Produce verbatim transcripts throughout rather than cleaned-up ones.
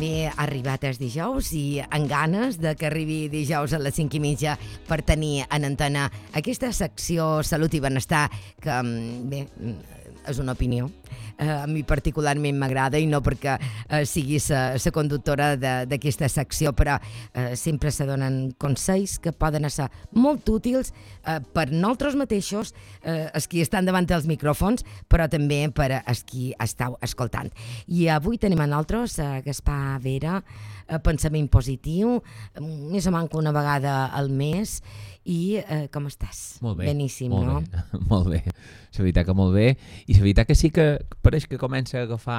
Bé, ha arribat el dijous i amb ganes de que arribi dijous a les cinc i mitja per tenir en antena aquesta secció Salut i Benestar que, bé, és una opinió. Uh, a mi particularment m'agrada i no perquè uh, sigui la conductora d'aquesta secció, però uh, sempre se donen consells que poden ser molt útils uh, per nosaltres mateixos, uh, els qui estan davant dels micròfons, però també per els qui estàu escoltant. I avui tenim a nosaltres uh, Gaspar Vera, uh, pensament positiu, més o menys una vegada al mes. I eh, com estàs? Molt bé. Beníssim, molt no? Bé. Molt bé. La veritat que molt bé. I la veritat que sí que pareix que comença a agafar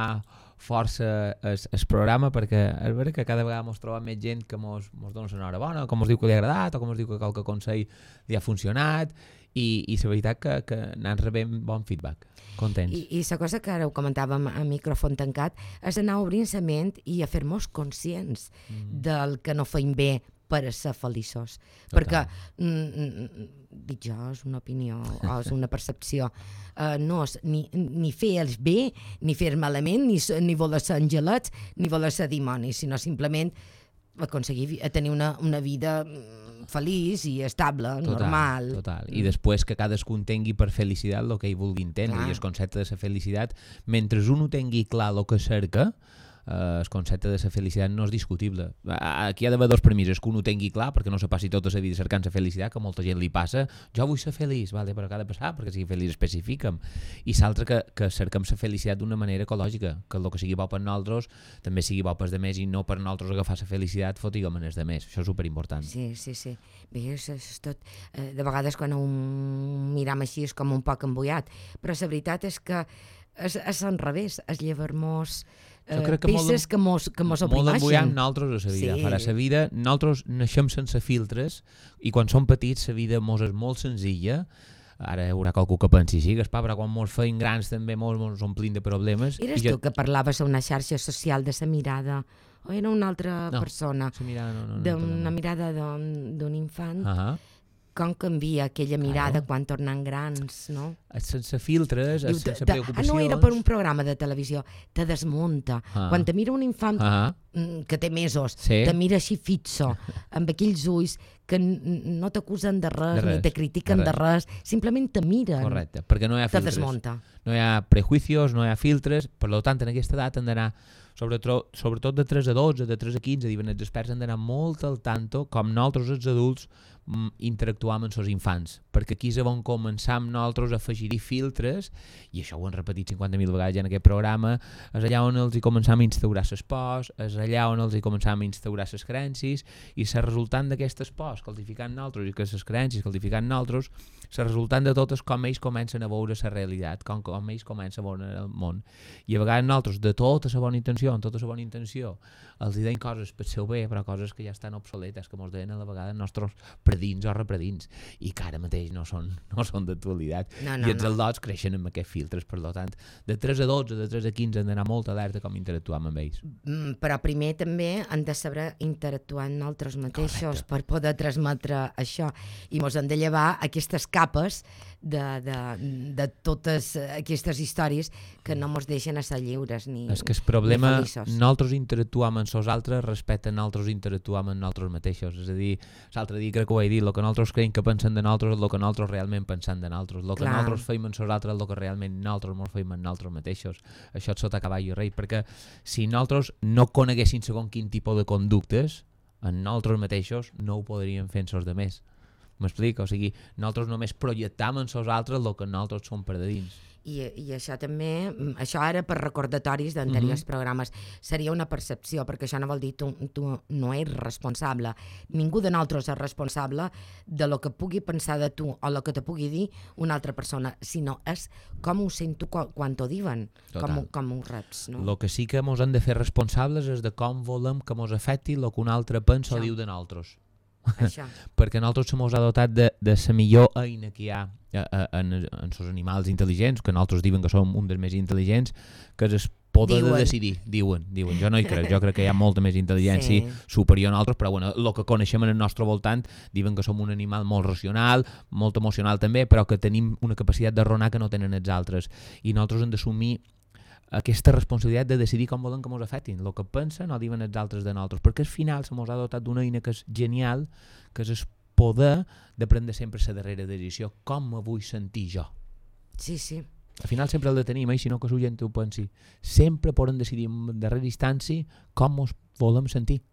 força el, el programa, perquè és veritat que cada vegada ens trobem més gent que ens dona una hora bona, com ens diu que li ha agradat, o com ens diu que qualque consell li ha funcionat, i, i la veritat que, que anem rebent bon feedback. Contents. I, i la cosa que ara ho comentàvem a micròfon tancat és anar obrint la ment i a fer-nos conscients mm. del que no feim bé per a ser feliços. Total. Perquè, mm, dic jo, és una opinió o és una percepció, uh, no és ni, ni fer els bé, ni fer malament, ni, ni voler ser angelets, ni voler ser dimonis, sinó simplement aconseguir tenir una, una vida feliç i estable, total, normal. Total. I després que cadascú entengui per felicitat el que ell vulgui entendre. Clar. I el concepte de la felicitat, mentre un ho tingui clar el que cerca, Uh, el concepte de la felicitat no és discutible. Aquí hi ha d'haver dos premisses, que un ho tingui clar, perquè no se passi tota la vida cercant la felicitat, que a molta gent li passa, jo vull ser feliç, vale, però què ha de passar perquè sigui feliç, especifica'm. I l'altre que, que cerquem la felicitat d'una manera ecològica, que el que sigui bo per nosaltres també sigui bo per els demés i no per nosaltres agafar la felicitat fotiguem en els demés. Això és superimportant. Sí, sí, sí. Bé, és, és tot... Eh, de vegades quan ho miram així és com un poc embullat, però la veritat és que és, és al revés, és llevar-nos Uh, peces que mos, que mos oprimeixen. Molt embullant nosaltres a la vida. Sí. Farà la vida, nosaltres naixem sense filtres i quan som petits la vida mos és molt senzilla. Ara hi haurà qualcú que pensi així, Gaspar, però quan mos feim grans també mos, mos omplim de problemes. Eres tu jo... que parlaves a una xarxa social de la mirada o era una altra no, persona? No, mirada no, no, no, d'una no. mirada d'un infant. Uh -huh. Com canvia aquella mirada claro. quan tornen grans, no? Sense filtres, Diu, sense preocupacions. Ah, no, era per un programa de televisió. Te desmunta. Ah. Quan te mira un infant ah. que té mesos, sí. te mira així fixo, amb aquells ulls que no t'acusen de res, de res, ni te critiquen de res. de res, simplement te miren. Correcte, perquè no hi ha filtres. Te desmunta. No hi ha prejuicios, no hi ha filtres, per tant, en aquesta edat han d'anar, sobretot, sobretot de tres a dotze, de tres a quinze, diuen els experts, han d'anar molt al tanto, com nosaltres els adults, interactuar amb els infants, perquè aquí és on començam nosaltres a afegir-hi filtres, i això ho hem repetit cinquanta mil vegades ja en aquest programa, és allà on els hi començam a instaurar les pors, és allà on els hi començam a instaurar les creences, i la resultant d'aquestes pors, qualificant nosaltres, i que les creences qualificant nosaltres, la resultant de tot és com ells comencen a veure la realitat, com, com ells comencen a veure el món. I a vegades nosaltres, de tota la bona intenció, amb tota la bona intenció, els deien coses per seu bé, però coses que ja estan obsoletes, que ens deien a la vegada els nostres predins o repredins, i que ara mateix no són, no són d'actualitat. No, no, I els no. adults creixen amb aquests filtres, per tant, de tres a dotze, de tres a quinze hem d'anar molt alerta com interactuam amb ells. Mm, però primer també hem de saber interactuar amb nosaltres mateixos. Correcte. Per poder transmetre això, i mos hem de llevar aquestes capes de, de, de totes aquestes històries que no mos deixen a ser lliures ni És que el problema, feliços. Nosaltres interactuam amb els altres respecte a nosaltres interactuam amb nosaltres mateixos. És a dir, l'altre dia crec que ho he dit, el que nosaltres creiem que pensen de nosaltres és el que nosaltres realment pensem de nosaltres. El que Clar. nosaltres feim amb els altres és el que realment nosaltres ens feim amb nosaltres mateixos. Això és sota cavall i rei, perquè si nosaltres no coneguéssim segon quin tipus de conductes, en nosaltres mateixos no ho podríem fer en els altres. M'explico? O sigui, nosaltres només projectam en els altres el que nosaltres som per de dins. I, i això també, això ara per recordatoris d'anteriors mm-hmm. programes, seria una percepció, perquè això no vol dir tu, tu no ets responsable. Ningú de nosaltres és responsable de lo que pugui pensar de tu o lo que te pugui dir una altra persona, sinó és com ho sento quan, quan t'ho diuen, com, com ho reps. No? El que sí que ens hem de fer responsables és de com volem que ens afecti el que un altre pensa això. O diu de nosaltres. Perquè nosaltres se mos ha dotat de, de la millor eina que hi ha en els animals intel·ligents, que nosaltres diuen que som un dels més intel·ligents, que és el poder diuen. de decidir, diuen, diuen. Jo no hi crec, jo crec que hi ha molta més intel·ligència sí. superior a nosaltres, però bueno, el que coneixem en el nostre voltant diuen que som un animal molt racional, molt emocional també, però que tenim una capacitat de raonar que no tenen els altres, i nosaltres hem d'assumir aquesta responsabilitat de decidir com volen que ens afectin, el que pensen o diuen els altres de nosaltres, perquè al final se mos ha dotat d'una eina que és genial, que és el poder de prendre sempre la darrera decisió, com me vull sentir jo. Sí, sí. Al final sempre el de tenim, eh? Si no que la gent ho pensi. Sempre podem decidir en darrera instància com ens volem sentir.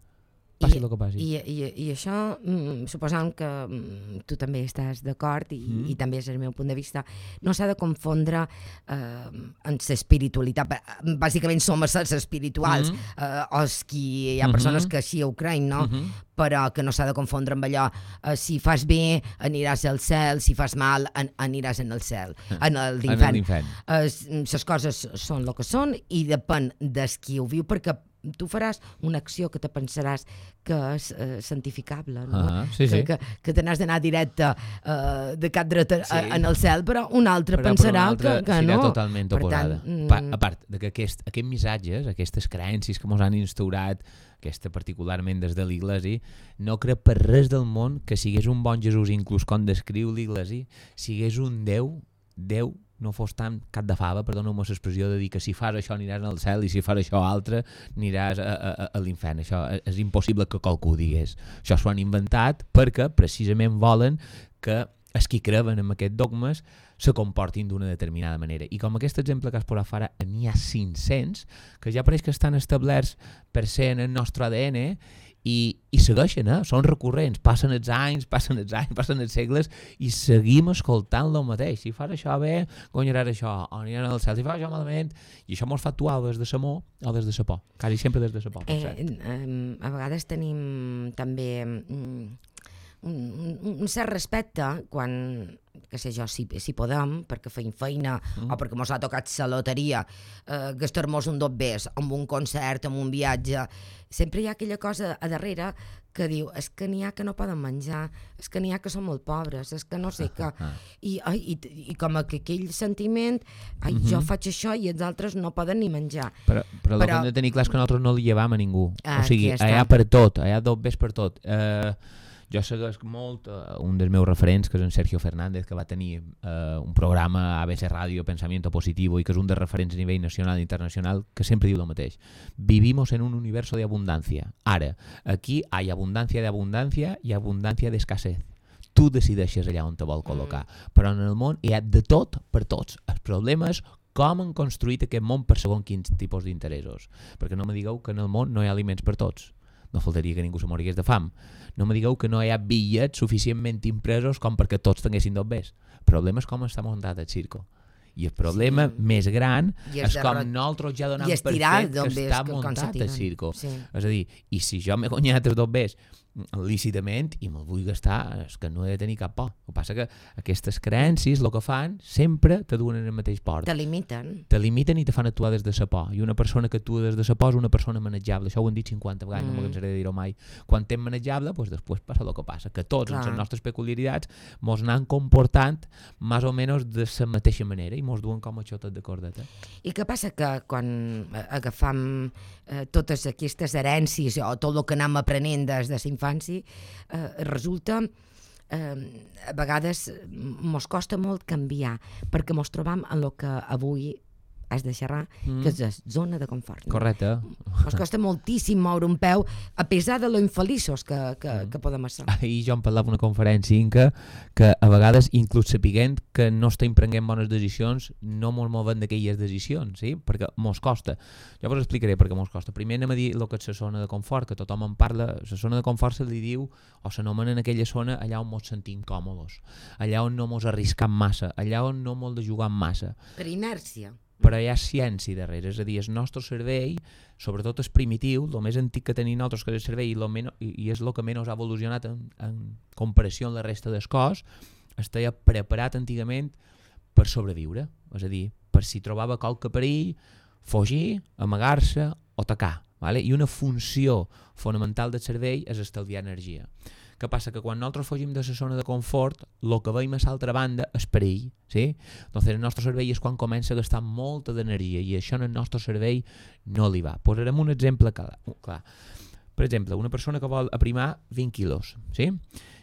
Passi el que passi. I, i, i això, mm, suposant que mm, tu també estàs d'acord i, mm. i també és el meu punt de vista, no s'ha de confondre eh, amb l'espiritualitat. Bàsicament som éssers espirituals, mm. eh, els qui hi ha persones mm-hmm. que així ho creien, no? Mm-hmm. Però que no s'ha de confondre amb allò, eh, si fas bé aniràs al cel, si fas mal an aniràs en el cel, en l'infern. Eh, les coses són el que són i depèn de qui ho viu, perquè tu faràs una acció que te pensaràs que és eh, santificable, no? Ah, sí, sí. que, que, que te n'has d'anar directe eh, de cap dret sí. en el cel, però un altre però, pensarà però un altre que, que no. Serà totalment per oposada. Tant, pa, a part de que aquest, aquests missatges, aquestes creences que ens han instaurat, aquesta particularment des de l'Iglesi, no crec per res del món que sigués un bon Jesús, inclús com descriu l'Iglesi, sigués un Déu, Déu no fos tan cap de fava, perdona-me l'expressió, de dir que si fas això aniràs al cel i si fas això altre aniràs a, a, a l'infern. Això és impossible que qualcú ho digués. Això s'ho han inventat perquè precisament volen que els qui creuen en aquests dogmes se comportin d'una determinada manera. I com aquest exemple que has posat fora, n'hi ha cinc-cents que ja pareix que estan establerts per ser en el nostre A D N i, i segueixen, eh? Són recurrents, passen els anys, passen els anys, passen els segles i seguim escoltant el mateix. Si fas això bé, guanyaràs això, o aniràs al cel. Si fas això malament, i això mos fa actuar des de l'amor o des de la por, quasi sempre des de la por. Eh, eh, a vegades tenim també mm, un, un, un cert respecte quan, que sé jo, si, si podem, perquè feim feina mm. o perquè mos ha tocat la loteria, eh, gastar-nos un dos bes amb un concert, amb un viatge, sempre hi ha aquella cosa a darrere que diu, és que n'hi ha que no poden menjar, és que n'hi ha que són molt pobres, és que no sé què, i, i, i com que aquell sentiment, ai, mm-hmm. jo faig això i els altres no poden ni menjar. Però, però, però el que hem de tenir clar és que nosaltres no li llevam a ningú, ah, o sigui, hi ha per tot, hi ha dos bes per tot. Eh... Jo segueixo molt uh, un dels meus referents, que és en Sergio Fernández, que va tenir uh, un programa a A B C Ràdio, Pensamiento Positivo, i que és un dels referents a nivell nacional i internacional, que sempre diu el mateix. Vivimos en un universo de abundancia. Ara, aquí hay abundancia de abundancia i abundancia de escasez. Tu decideixes allà on te vol col·locar. Mm. Però en el món hi ha de tot per tots. El problema és com han construït aquest món per segons quins tipus d'interessos. Perquè no me digueu que en el món no hi ha aliments per tots. No faltaria que ningú se morigués de fam. No me digueu que no hi ha bitllets suficientment impresos com perquè tots tinguessin dos bes. El problema és com està muntat el circo. I el problema sí. més gran és, és com nosaltres ja donem per fet que està muntat el circo. Sí. És a dir, i si jo m'he guanyat els dos bes lícitament i me'l vull gastar, és que no he de tenir cap por. El que passa que aquestes creences el que fan sempre te duen en el mateix port. Te limiten. Te limiten i te fan actuar des de la por. I una persona que actua des de la por és una persona manejable. Això ho hem dit cinquanta vegades, mm. no m'ho cansaré de dir-ho mai. Quan t'hem manejable, doncs després passa el que passa. Que tots, amb les nostres peculiaritats, mos anem comportant més o menys de la mateixa manera i mos duen com a xotes de cordeta. I què passa? Que quan agafam eh, totes aquestes herències o tot el que anem aprenent des de la infància, eh, resulta eh, a vegades mos costa molt canviar perquè mos trobam en el que avui has de xerrar, mm. que és la zona de confort. No? Correcte. Ens costa moltíssim moure un peu, a pesar de lo infeliços que, que, mm. que podem ser. Ahir jo em parlava una conferència que, que a vegades, inclús sapiguent que no estem prenent bones decisions, no mos movem d'aquelles decisions, sí? Perquè mos costa. Jo vos explicaré per què mos costa. Primer anem a dir el que és la zona de confort, que tothom en parla. La zona de confort se li diu, o s'anomena en aquella zona allà on mos sentim còmodes, allà on no mos arriscam massa, allà on no mos de jugar massa. Per inèrcia. Però hi ha ciència darrere, és a dir, el nostre cervell, sobretot el primitiu, el més antic que tenim nosaltres que és el cervell i, lo menys, i és el que menys ha evolucionat en, en comparació amb la resta del cos, estava preparat antigament per sobreviure, és a dir, per si trobava qualque perill, fugir, amagar-se o atacar. Vale? I una funció fonamental del cervell és estalviar energia. Què passa? Que quan nosaltres fugim de la zona de confort, el que veiem a l'altra banda és perill. ¿Sí? Entonces el nostre cervell és quan comença a gastar molta d'energia i això en el nostre cervell no li va. Posarem un exemple clar. clar. Per exemple, una persona que vol aprimar vint quilos. ¿Sí?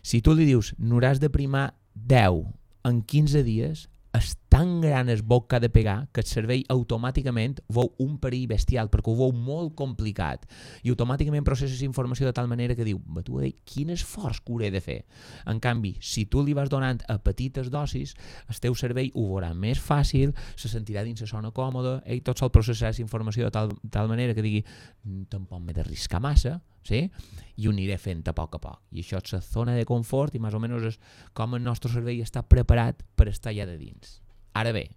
Si tu li dius n'hauràs d'aprimar deu en quinze dies, està tan gran el boc que ha de pegar que el cervell automàticament veu un perill bestial, perquè ho veu molt complicat, i automàticament processa informació de tal manera que diu, va tu a dir, quin esforç que hauré de fer. En canvi, si tu li vas donant a petites dosis, el teu cervell ho veurà més fàcil, se sentirà dins la zona còmoda, ell tot sol processarà aquesta informació de tal, tal manera que digui, tampoc m'he d'arriscar massa, sí? I ho aniré fent a poc a poc. I això és la zona de confort i més o menys és com el nostre cervell està preparat per estar allà de dins. Ara bé,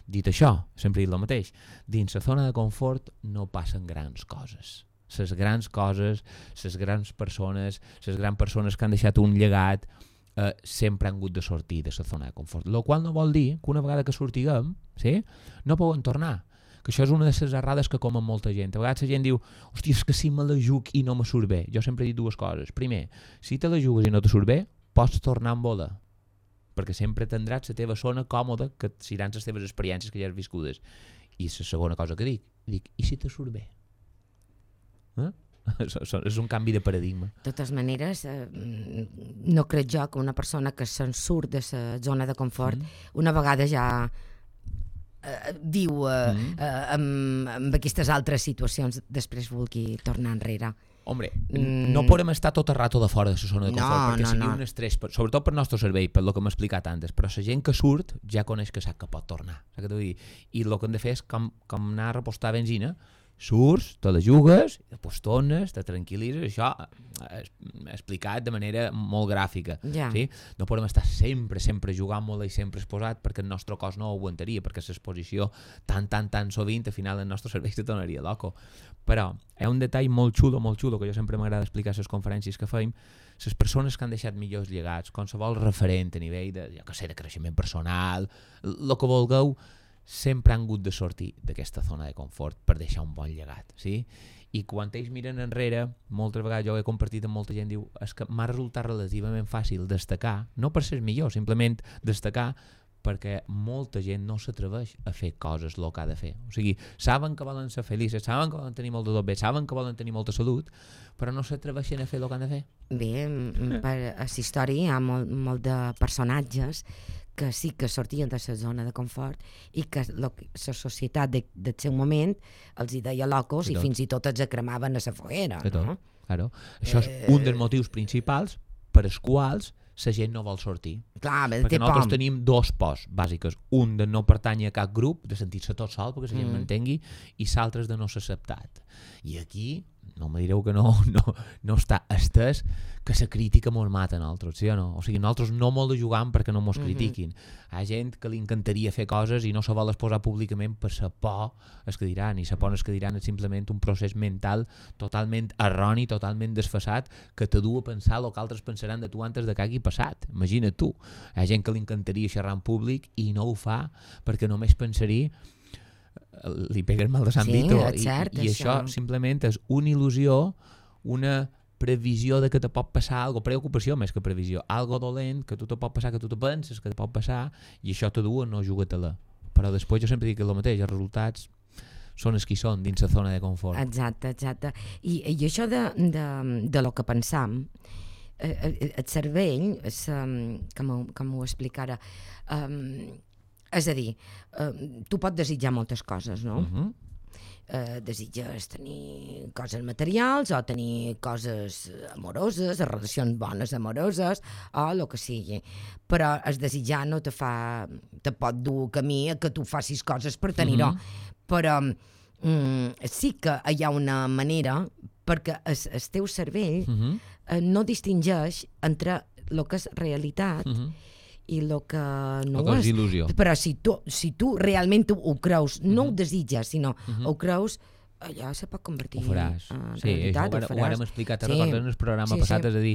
dit això, sempre he dit el mateix, dins la zona de confort no passen grans coses. Les grans coses, les grans persones, les grans persones que han deixat un llegat, eh, sempre han hagut de sortir de la zona de confort. Lo qual no vol dir que una vegada que sortiguem, sí, no poden tornar. Que això és una de les errades que comen molta gent. A vegades la gent diu, hòstia, és que si me la juc i no me surt bé. Jo sempre he dit dues coses. Primer, si te la jugues i no te surt bé, pots tornar amb vola, perquè sempre tindràs la teva zona còmoda, que seran les teves experiències que ja has viscudes. I la segona cosa que dic, dic, i si te surt bé? Eh? És un canvi de paradigma. De totes maneres, eh, no crec jo que una persona que se'n surt de la zona de confort, mm. una vegada ja eh, viu eh, mm. eh, amb, amb aquestes altres situacions, després vulgui tornar enrere. Hombre, mm. no podem estar tot el rato de fora de la zona de confort, no, perquè no, seria no. un estrès, sobretot per nostre cervell, per lo que m'he explicat antes, però la gent que surt ja coneix que sap que pot tornar. Saps què t'ho dir? I el que hem de fer és com, com anar a repostar benzina, surts, te la jugues, després tornes, te tranquil·litzes, això explicat de manera molt gràfica. Ja. Sí? No podem estar sempre, sempre jugant molt i sempre exposat perquè el nostre cos no ho aguantaria, perquè l'exposició tan, tan, tan sovint, al final el nostre cervell se tornaria loco. Però hi ha un detall molt xulo, molt xulo, que jo sempre m'agrada explicar a les conferències que feim, les persones que han deixat millors llegats, qualsevol referent a nivell de, jo que sé, de creixement personal, el que vulgueu, sempre han hagut de sortir d'aquesta zona de confort per deixar un bon llegat, sí? I quan ells miren enrere, moltes vegades jo ho he compartit amb molta gent, diu, és que m'ha resultat relativament fàcil destacar, no per ser millor, simplement destacar perquè molta gent no s'atreveix a fer coses el que ha de fer. O sigui, saben que volen ser feliços, saben que volen tenir molt de tot bé, saben que volen tenir molta salut, però no s'atreveixen a fer el que han de fer. Bé, per a la història hi ha molt, molt de personatges que sí que sortien de la zona de confort i que la societat de, del seu moment els hi deia locos i fins i tot els cremaven a la foguera. No? Claro. Això és un dels motius principals per als quals la gent no vol sortir. Clar, perquè nosaltres pom. tenim dos pors bàsiques. Un de no pertànyer a cap grup, de sentir-se tot sol perquè la gent mm. m'entengui, i l'altre de no ser acceptat. I aquí, no me direu que no, no, no està estès que la crítica mos mata a nosaltres, sí o no? O sigui, nosaltres no molt de jugant perquè no mos mm-hmm. critiquin. Hi ha gent que li encantaria fer coses i no se vol exposar públicament per la por es que diran, i la por es que diran és simplement un procés mental totalment erroni, totalment desfasat, que te du a pensar el que altres pensaran de tu antes de que hagi passat. Imagina't tu. Hi ha gent que li encantaria xerrar en públic i no ho fa perquè només pensaria li peguen mal de Sant sí, Vito i, cert, i, i això. això simplement és una il·lusió, una previsió de que te pot passar algo, preocupació més que previsió, algo dolent que tu te pot passar, que tu te penses que te pot passar, i això te du a no jugar-te-la. Però després jo sempre dic el mateix, els resultats són els que són dins la zona de confort. Exacte, exacte. I, i això de, de, de lo que pensam, eh, el cervell, és, um, com, ho, com ho explica ara, um, és a dir, uh, tu pots desitjar moltes coses, no? Uh-huh. Uh, desitges tenir coses materials o tenir coses amoroses, relacions bones amoroses o el que sigui, però el desitjar no te fa, te pot dur camí a que tu facis coses per tenir-ho, uh-huh. però um, sí que hi ha una manera perquè el, el teu cervell uh-huh. uh, no distingeix entre el que és realitat uh-huh. i el que no ho és. Il·lusió. Però si tu, si tu realment ho, ho creus, no uh-huh. ho desitges, sinó uh-huh. ho creus, allò se pot convertir ho faràs. en sí, realitat. Ho, faràs. Ho hem explicat, sí. recordes en el programa sí, passat, sí. és a dir,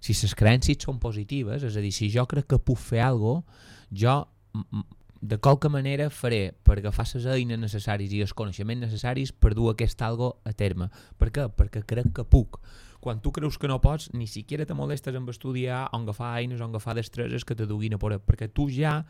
si les creences són positives, és a dir, si jo crec que puc fer alguna cosa, jo de qualque manera faré per agafar les eines necessàries i els coneixements necessaris per dur aquest algo a terme. Per què? Perquè crec que puc. Quan tu creus que no pots, ni siquiera te molestes en estudiar o en agafar eines o en agafar destreses que te duguin a por, perquè tu ja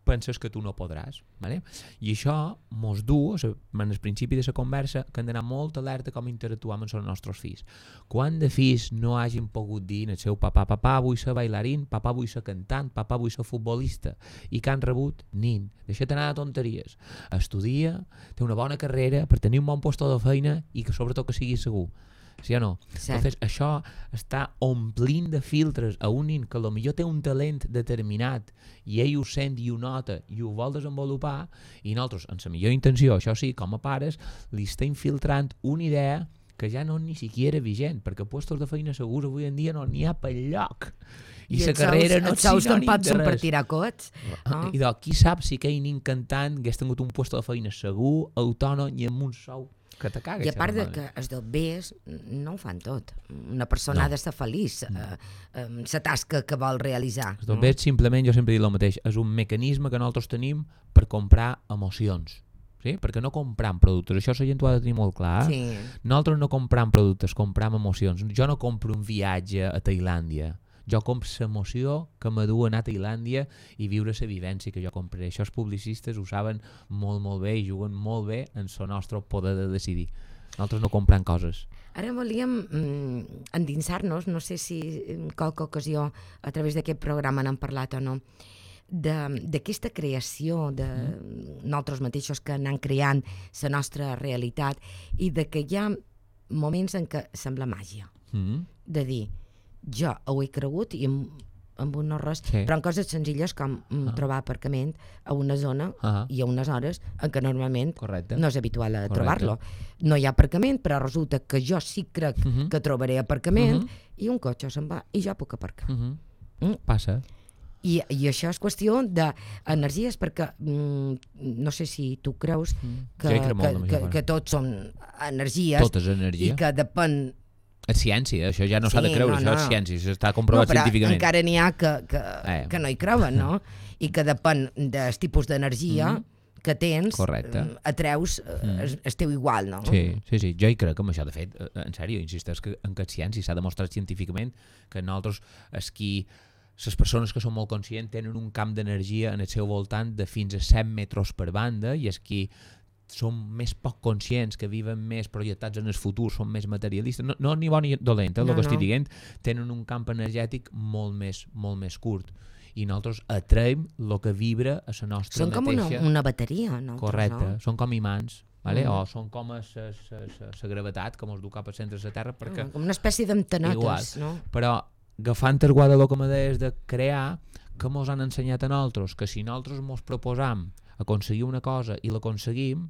penses que tu no podràs. Vale? I això mos du, en el principi de la conversa, que hem d'anar molt alerta com interactuam amb els nostres fills. Quan de fills no hagin pogut dir al seu papà, papà vull ser bailarín, papà vull ser cantant, papà vull ser futbolista, i que han rebut, nin, deixa't anar de tonteries. Estudia, té una bona carrera per tenir un bon lloc de feina i que sobretot que sigui segur. Sí o no? Sí. Entonces, això està omplint de filtres a un nin que potser té un talent determinat i ell ho sent i ho nota i ho vol desenvolupar, i nosaltres, en la millor intenció, això sí, com a pares, li està infiltrant una idea que ja no és ni siquiera vigent, perquè puestos de feina segurs avui en dia no n'hi ha pel lloc. I la carrera no és sinònim de res. Per tirar cots. No? I doncs, qui sap si aquell nin cantant hagués tingut un lloc de feina segur, autònom i amb un sou que te cagues. I a part de que els dobbers no ho fan tot. Una persona no. ha d'estar feliç no. eh, eh, la tasca que vol realitzar. Els dobbers, no? simplement, jo sempre dic el mateix, és un mecanisme que nosaltres tenim per comprar emocions. Sí? Perquè no compram productes, això la gent ho ha de tenir molt clar. Sí. Nosaltres no compram productes, compram emocions. Jo no compro un viatge a Tailàndia. Jo compro l'emoció que m'adu a anar a Tailàndia i viure la vivència que jo compraré. Això els publicistes ho saben molt, molt bé i juguen molt bé en el nostre poder de decidir. Nosaltres no comprem coses. Ara volíem mm, endinsar-nos, no sé si en qualque ocasió a través d'aquest programa n'hem parlat o no, d'aquesta creació de mm. nosaltres mateixos que anem creant la nostra realitat i de que hi ha moments en què sembla màgia. Mm. De dir, jo ho he cregut i amb, amb un no res, sí. però en coses senzilles com uh-huh. trobar aparcament a una zona uh-huh. i a unes hores en què normalment Correcte. no és habitual a Correcte. trobar-lo. No hi ha aparcament, però resulta que jo sí crec uh-huh. que trobaré aparcament uh-huh. i un cotxe se'n va i jo puc aparcar. Uh-huh. Mm? Passa. I, I això és qüestió d'energies, perquè mm, no sé si tu creus que, sí, que, que, que tots són energies tot és energia. I que depèn. És ciència, això ja no sí, s'ha de creure, no, això no. és ciència, això està comprovat no, però científicament. Encara n'hi ha que, que, eh. que no hi creuen, no? I que depèn del tipus d'energia mm. que tens, correcte. Atreus mm. el, el teu igual, no? Sí, sí, sí, jo hi crec amb això, de fet, en sèrio, insisteix que en que ciència s'ha demostrat científicament que nosaltres, és qui, les persones que són molt conscients tenen un camp d'energia en el seu voltant de fins a cent metres per banda i és qui són més poc conscients, que viven més projectats en el futur, són més materialistes, no, no ni bon ni dolent, eh, el no, que estic no. dient, tenen un camp energètic molt més, molt més curt i nosaltres atraiem el que vibra a la nostra són mateixa... Són com una, una bateria, no? Correcte, no? Són com imants, vale? Mm. O són com la gravetat que ens du cap al centre de la Terra, perquè... Mm, com una espècie d'antenetes, no? Però agafant el guadaló que me deies de crear, que mos han ensenyat a nosaltres, que si nosaltres mos proposam aconseguir una cosa i l'aconseguim,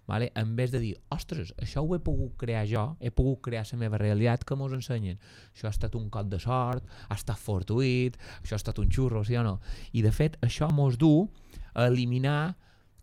vale? En vez de dir, ostres, això ho he pogut crear jo, he pogut crear la meva realitat, que mos ensenyen. Això ha estat un cop de sort, ha estat fortuït, això ha estat un xurro, sí o no? I de fet, això mos du a eliminar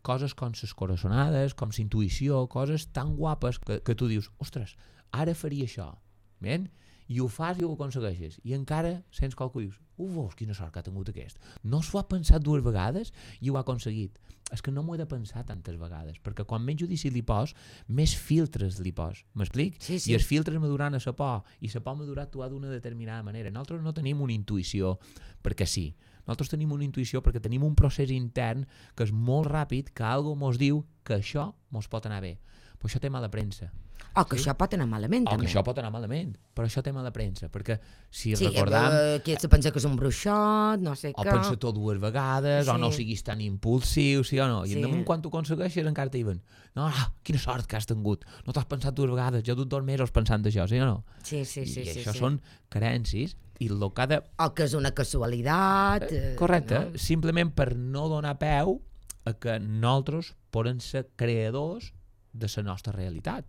coses com les coraçonades, com la intuïció, coses tan guapes que, que tu dius, ostres, ara faria això, ben? I ho fas i ho aconsegueixes i encara sents qualcú i dius uf, quina sort que ha tingut aquest, no s'ho ha pensat dues vegades i ho ha aconseguit. És que no m'ho he de pensar tantes vegades, perquè quan menys judici li pos, més filtres li pos, m'explic? Sí, sí. I els filtres maduran a la por i la por madura actuar d'una determinada manera. Nosaltres no tenim una intuïció perquè sí, nosaltres tenim una intuïció perquè tenim un procés intern que és molt ràpid, que algú mos diu que això mos pot anar bé, però això té mala premsa. O que sí? Això pot anar malament, o també. que això pot anar malament, però això té mala premsa, perquè si sí, recordam... Sí, que se pensa que és un bruixot, no sé o què... O pensa tot dues vegades, sí. O no siguis tan impulsiu, sí o no? I sí. Damunt quan tu aconsegueixes encara t'hi diuen no, no, quina sort que has tingut, no t'has pensat dues vegades, jo he dut dos mesos pensant d'això, sí o no? Sí, sí, sí. I sí, això sí. són carències i el que ha de... O que és una casualitat... Eh, correcte, no? Simplement per no donar peu a que nosaltres podem ser creadors de la nostra realitat.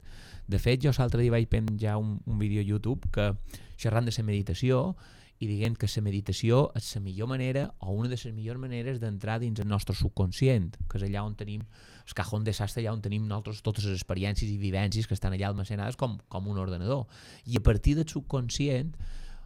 De fet, jo l'altre dia vaig penjar un, un vídeo a YouTube que xerrant de la meditació i dient que la meditació és la millor manera o una de les millors maneres d'entrar dins el nostre subconscient, que és allà on tenim el cajón desastre, allà on tenim nosaltres totes les experiències i vivències que estan allà almacenades com, com un ordenador. I a partir del subconscient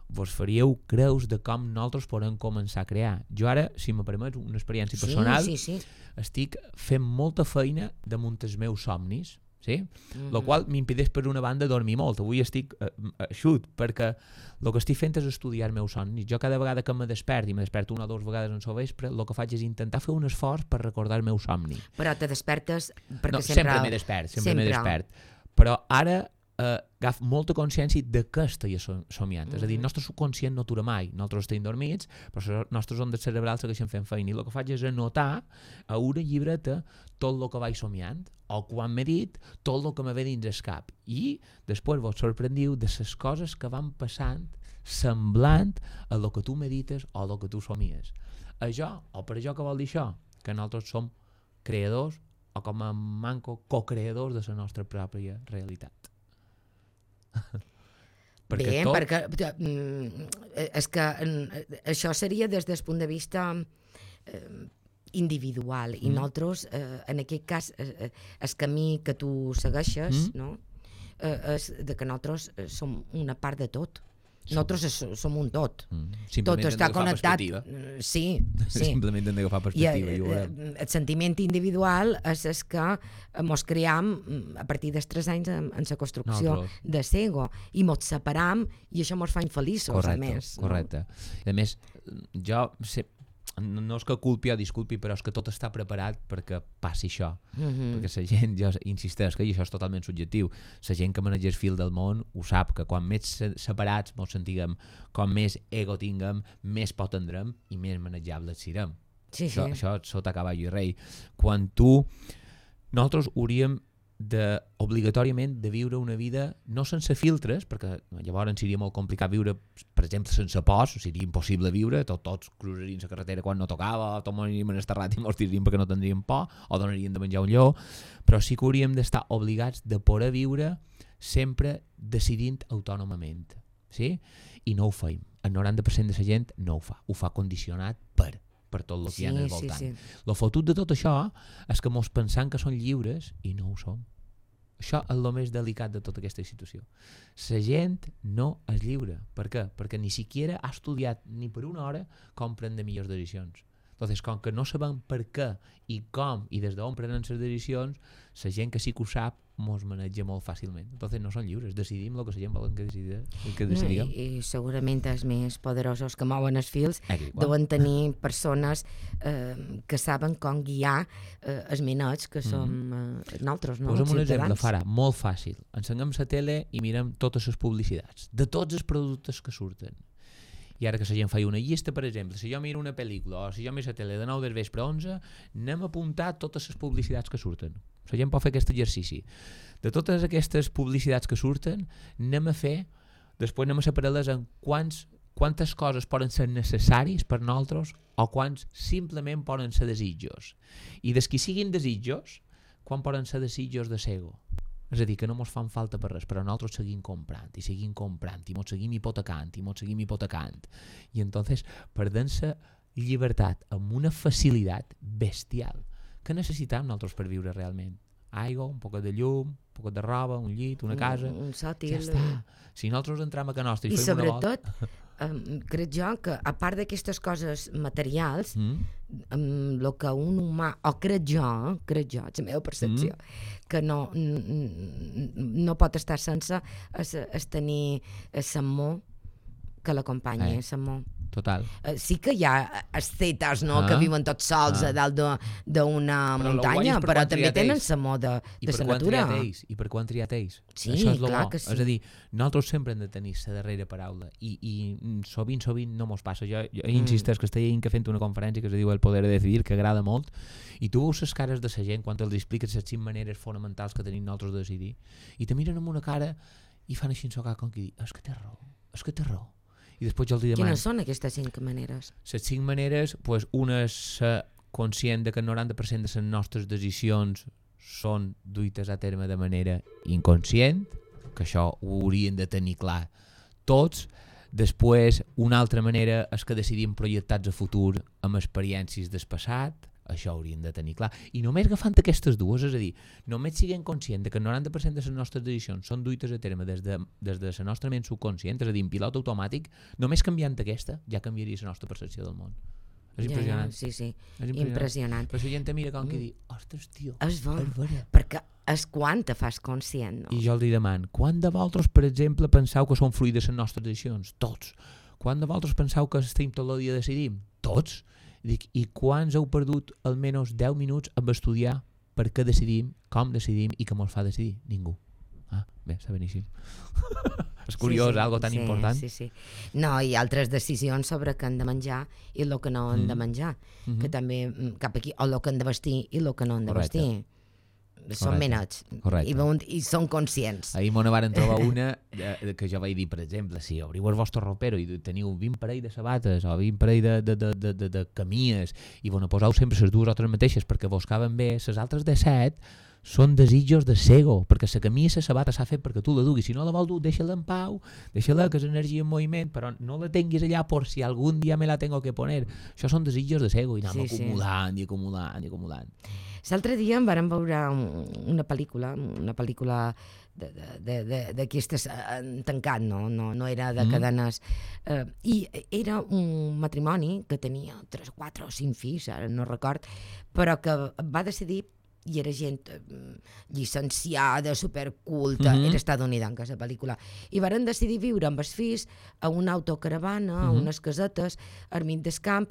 vos faríeu creus de com nosaltres podem començar a crear. Jo ara, si me permets, una experiència personal, sí, sí, sí. estic fent molta feina damunt els meus somnis, Sí? Mm-hmm. Lo qual m'impedeix per una banda dormir molt. Avui estic eh, eixut perquè el que estic fent és estudiar el meu somni. Jo cada vegada que me despert i me desperto una o dues vegades en el vespre, el que faig és intentar fer un esforç per recordar el meu somni. Però te despertes perquè no, sempre... sempre m'he despert, sempre, sempre. m'he despert. Però ara eh, agaf molta consciència de què estic somiant. Mm-hmm. És a dir, el nostre subconscient no atura mai. Nosaltres estem dormits, però les nostres ondes cerebrals segueixen fent feina. I el que faig és anotar a una llibreta tot el que vaig somiant, o quan m'he dit tot el que me ve dins el cap. I després vos sorprendiu de les coses que van passant semblant a el que tu medites o el que tu somies. Això, o per això que vol dir això? Que nosaltres som creadors o com a manco co-creadors de la nostra pròpia realitat. perquè Bé, tot... perquè és que això seria des del punt de vista eh, individual i mm. nosaltres, eh, en aquest cas eh, el camí que tu segueixes mm. no? eh, és de que nosaltres som una part de tot. Nosaltres som un tot. Mm. Tot està connectat. Sí, sí. Simplement hem d'agafar perspectiva. I, I el sentiment individual és el que ens cream a partir dels tres anys en, en la construcció Nosaltres. de l'ego i ens separam i això ens fa infeliços, correcte, a més. Correcte. No? A més, jo sé, no, no és que culpi o disculpi, però és que tot està preparat perquè passi això. Mm-hmm. Perquè la gent, jo insisteix que això és totalment subjectiu, la gent que maneja el fil del món ho sap, que quan més separats ens sentiguem, com més ego tinguem, més por tindrem i més manejables serem. Sí, això, sí. això sota cavall i rei. Quan tu... Nosaltres hauríem de, obligatòriament de viure una vida no sense filtres, perquè llavors seria molt complicat viure, per exemple, sense pors, seria impossible viure, tot, tots cruzarien la carretera quan no tocava, tots moriríem en esterrat i mos tiraríem perquè no tindríem por, o donaríem de menjar un lleó, però sí que hauríem d'estar obligats de poder viure sempre decidint autònomament, sí? I no ho feim. El noranta per cent de la gent no ho fa, ho fa condicionat per per tot el que sí, hi ha al voltant. Sí, sí. Lo fotut de tot això és que mos pensam que són lliures i no ho som. Això és el més delicat de tota aquesta situació. La gent no és lliure. Per què? Perquè ni siquiera ha estudiat ni per una hora com prendre millors decisions. Entonces, com que no sabem per què i com i des d'on prenen les decisions, la gent que sí que ho sap mos maneja molt fàcilment. Entonces no són lliures, decidim el que la gent volen que, decidi, que decidim. No, i, I segurament els més poderosos que mouen els fils Aquí, deuen tenir persones eh, que saben com guiar eh, els minets que som mm-hmm. eh, nosaltres, no? Posa'm un exemple, Farah, molt fàcil. Ensenyem la tele i mirem totes les publicitats de tots els productes que surten. I ara que la gent fa una llista, per exemple, si jo miro una pel·lícula o si jo miro la tele de nou del vespre a onze, anem a apuntar totes les publicitats que surten. La gent pot fer aquest exercici. De totes aquestes publicitats que surten, anem a fer, després anem a separar-les en quants, quantes coses poden ser necessaris per nosaltres o quants simplement poden ser desitjos. I des que siguin desitjos, quan poden ser desitjos de l'ego. És a dir, que no ens fan falta per res, però nosaltres seguim comprant, i seguim comprant, i ens seguim hipotecant, i ens seguim hipotecant. I entonces perdem la llibertat amb una facilitat bestial. Què necessitem nosaltres per viure realment? Aigua, un poc de llum, un poc de roba, un llit, una casa... Un, un sòtil... Ja està. Si nosaltres entrem a casa nostra i, I fem una volta... I sobretot, um, crec jo que a part d'aquestes coses materials, mm. um, el que un humà, o crec jo, crec jo, és la meva percepció, mm. que no, no pot estar sense es, es tenir l'amor que l'acompanya, eh. l'amor. Total. Uh, sí que hi ha ascetes, no?, ah. que viuen tots sols ah. a dalt d'una muntanya, per però també tenen l'amor de, de la natura. Ells, I per quan triat ells. Sí, això és clar bo. Que sí. És a dir, nosaltres sempre hem de tenir la darrera paraula i, i sovint, sovint no mos passa. Jo, jo mm. insisteix que estic que fent una conferència que es diu El poder de decidir, que agrada molt, i tu veus les cares de la gent quan els expliques les cinc maneres fonamentals que tenim nosaltres de decidir, i te miren amb una cara i fan així en socar com qui dir, és que té raó, és que té raó. I després jo els demano... Quines són aquestes cinc maneres? Les cinc maneres, pues, una és ser conscient de que el noranta per cent de les nostres decisions són duites a terme de manera inconscient, que això ho haurien de tenir clar tots. Després, una altra manera és que decidim projectats a futur amb experiències del passat, això haurien de tenir clar. I només agafant aquestes dues, és a dir, només siguem conscients que el noranta per cent de les nostres decisions són duites a terme des de, des de la nostra ment subconscient, és a dir, en pilot automàtic, només canviant aquesta ja canviaria la nostra percepció del món. És impressionant. Ja, ja, sí, sí, és impressionant. impressionant. Però la gent te mira com que dir, ostres, tio, és bo, és vera. perquè és quan te fas conscient, no? I jo li deman, quan de vosaltres, per exemple, penseu que són fluides les nostres decisions? Tots. Quan de vosaltres penseu que estem tot el dia decidim? Tots. Dic, i quants heu perdut almenys deu minuts amb estudiar per què decidim, com decidim i què ens fa decidir? Ningú. Ah, bé, està beníssim. És curiós, sí, sí, algo tan sí, important. Sí, sí. No, hi ha altres decisions sobre què han de menjar i el que no han mm. de menjar, mm-hmm. que també cap aquí, o el que han de vestir i el que no han de Correcte. vestir. Són menets i, i són conscients. Ahir m'ho varen trobar una de, de, que jo vaig dir, per exemple, si obriu el vostre ropero i teniu vint parell de sabates o vint parell de, de, de, de, de, de camies i vos poseu sempre les dues o tres mateixes perquè vos caben bé, les altres de set són desitjos de cego, perquè la camisa i la sabata s'ha fet perquè tu la duguis. Si no la vol dur, deixa-la en pau, deixa-la, que és energia en moviment, però no la tinguis allà per si algun dia me la tengo que poner. Això són desitjos de cego i anem sí, acumulant sí. i acumulant i acumulant. L'altre dia em vàrem veure una pel·lícula, una pel·lícula d'aquestes tancat, no? No, no era de cadenes. Mm. Eh, I era un matrimoni que tenia tres, quatre o cinc fills, ara no record, però que va decidir i era gent llicenciada, superculta, mm-hmm. era estadounidenca la pel·lícula, i varen decidir viure amb els fills a una autocaravana, mm-hmm. a unes casetes, al mig del camp,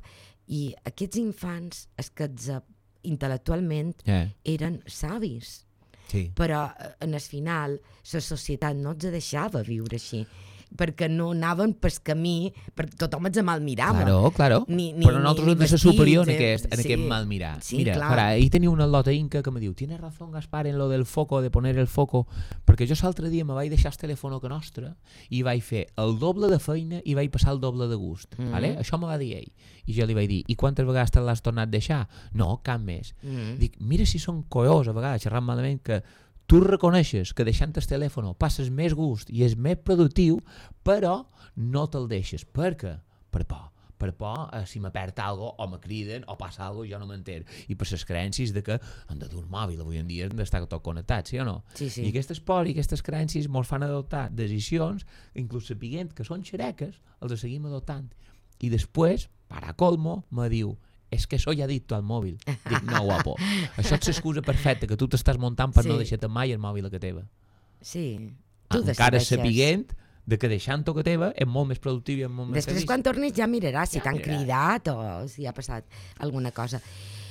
i aquests infants, els que intel·lectualment yeah. eren savis, sí. però en el final la societat no els deixava viure així, perquè no anaven pel camí, perquè tothom els mal mirava. Claro, claro. Ni, ni, però nosaltres hem de ser superior en aquest, en sí. aquest mal mirar. Sí, Mira, clar. Para, ahí tenia una lota inca que me diu, tienes razón, Gaspar, en lo del foco, de poner el foco, perquè jo l'altre dia me vaig deixar el telèfon que nostre i vaig fer el doble de feina i vaig passar el doble de gust. Mm-hmm. Vale? Això me va dir ell. I jo li vaig dir, i quantes vegades te l'has tornat a deixar? No, cap més. Mm-hmm. Dic, mira si són collons a vegades, xerrant malament, que tu reconeixes que deixant el telèfon passes més gust i és més productiu, però no te'l deixes. Per què? Per por. Per por, eh, si me perd alguna cosa, o me criden, o passa alguna cosa, jo no m'enter. I per les creences de que han de dur un mòbil, avui en dia hem d'estar tot connectats, sí o no? Sí, sí. I aquestes por i aquestes creences ens fan adoptar decisions, inclús sapiguent que són xereques, els seguim adoptant. I després, para colmo, me diu, és que això ja ha dit tu al mòbil. Dic, no, guapo. Això és l'excusa perfecta que tu t'estàs muntant per sí. no deixar-te mai el mòbil a que teva. Sí. Tu encara sapiguent de que deixant-ho que teva és molt més productiu i és molt més Després, feliç. Quan tornis, ja miraràs si ja t'han cridat o si ha passat alguna cosa.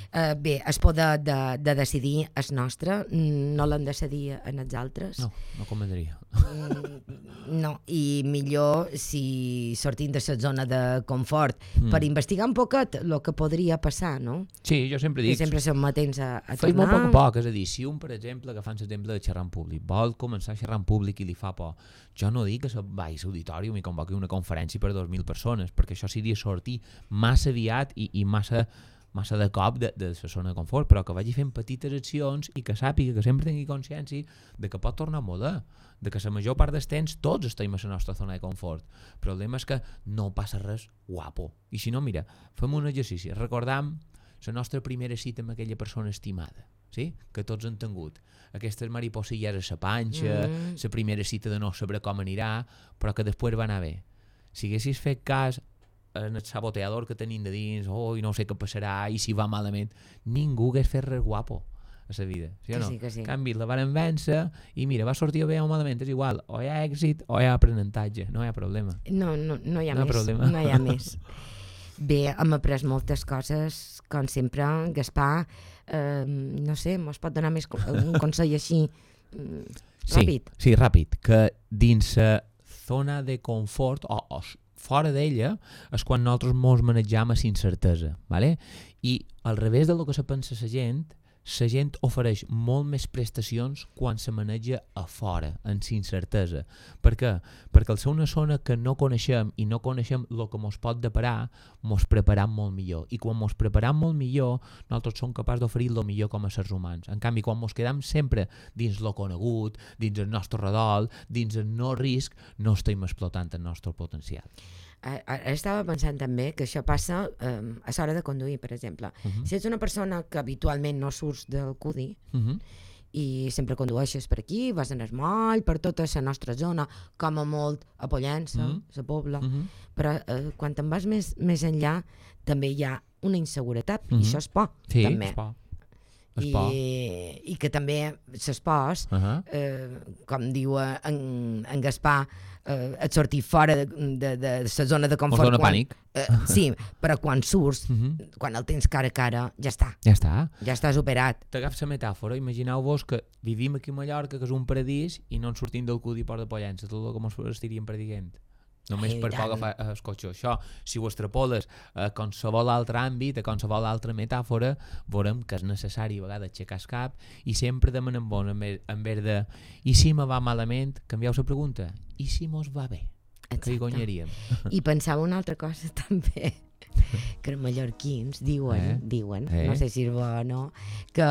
Uh, bé, el poder de, de decidir és nostre, no l'hem de cedir en els altres. No, no convendria. Mm, no, i millor si sortim de la zona de confort mm. per investigar un poquet el que podria passar, no? Sí, jo sempre dic... I sempre som matents a, a Fes tornar. molt poc a poc, és a dir, si un, per exemple, agafant l'exemple de xerrar en públic, vol començar a xerrar en públic i li fa por, jo no dic que se vagi a l'auditori i m'hi convoqui una conferència per dos mil persones, perquè això seria sortir massa aviat i, i massa... massa de cop de, de la zona de confort, però que vagi fent petites accions i que sàpiga, que sempre tingui consciència de que pot tornar a moda, de que la major part dels temps tots estem a la nostra zona de confort. El problema és que no passa res guapo. I si no, mira, fem un exercici, recordam la nostra primera cita amb aquella persona estimada, sí? Que tots han tingut. Aquestes mariposilles a la panxa, la mm. primera cita de no saber com anirà, però que després va anar bé. Si haguessis fet cas en el saboteador que tenim de dins, oh, i no sé què passarà, i si va malament, ningú hagués fet res guapo a la vida, sí o no? Que sí, que sí. En canvi, la van vèncer i mira, va sortir bé o malament, és igual, o hi ha èxit o hi ha aprenentatge, no hi ha problema. No, no, no hi ha no més, problema. no hi ha més. Bé, hem après moltes coses, com sempre, Gaspar, eh, no sé, mos pot donar més un consell així, ràpid? Sí, sí, ràpid, que dins la zona de confort, o, o fora d'ella, és quan nosaltres ens manejam a incertesa, ¿vale? I al revés del que se pensa la gent, la gent ofereix molt més prestacions quan se maneja a fora, en incertesa. Per què? Perquè al ser una zona que no coneixem i no coneixem el que ens pot deparar, ens preparam molt millor. I quan ens preparam molt millor, nosaltres som capaços d'oferir el millor com a éssers humans. En canvi, quan ens quedam sempre dins lo conegut, dins el nostre redol, dins el no risc, no estem explotant el nostre potencial. Ara estava pensant també que això passa eh, a l'hora de conduir, per exemple. Uh-huh. Si ets una persona que habitualment no surts del C U D I uh-huh. i sempre condueixes per aquí, vas en el moll, per tota la nostra zona, com a molt a Pollença, uh-huh. la Pobla, uh-huh. però eh, quan te'n vas més, més enllà també hi ha una inseguretat, uh-huh. i això és por, sí, també. És por. Es por. I, i que també s'espòs, Uh -huh. eh, com diu en, en Gaspar, eh, et sortir fora de, de, de la zona de confort. O zona quan, pànic. Eh, sí, però quan surts, Uh -huh. quan el tens cara a cara, ja està, Ja està. ja estàs operat. T'agafes la metàfora, imagineu-vos que vivim aquí a Mallorca, que és un paradís, i no ens sortim del cudi Port de Pollença, tot el que ens estiríem perdent. Només Ai, per tant. poc agafar el cotxe. Això, si ho extrapoles a qualsevol altre àmbit, a qualsevol altra metàfora, veurem que és necessari a vegades aixecar el cap i sempre demanem bon en vez, en vez de i si me va malament, canvieu la pregunta. I si mos va bé? Que hi guanyaríem. I pensava una altra cosa també, que els mallorquins diuen, Eh? diuen, Eh? no sé si és bo o no, que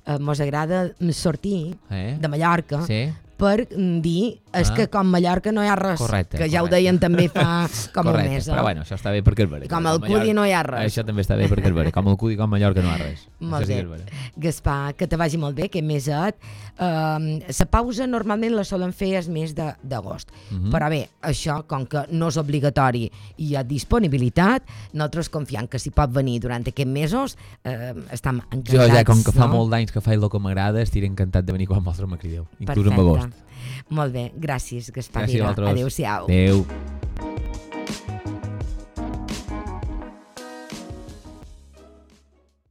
eh, mos agrada sortir Eh? de Mallorca Sí? per mm, dir és Ah. que com Mallorca no hi ha res, Correcte, que ja ho correcte. deien també fa com Correcte, un mes. però eh? bueno, això està bé perquè és vera. Com al Cudi no hi ha res. Això també està bé perquè és vera. Com el Cudi, com Mallorca no hi ha res. Molt Això sí bé. que és vera. Gaspar, que te vagi molt bé, que més et... Uh, la pausa normalment la solen fer el mes de- d'agost, Mhm. però bé, això, com que no és obligatori i hi ha disponibilitat, nosaltres confiem que si pot venir durant aquests mesos, uh, estem encantats. Jo ja, com que fa no? molt d'anys que faig el que m'agrada, estiré encantat de venir quan vosaltres me crideu, inclús en Perfecte. agost. Molt bé, gràcies, Gaspar Gràcies a Vila. vosaltres. Adéu-siau. Adéu.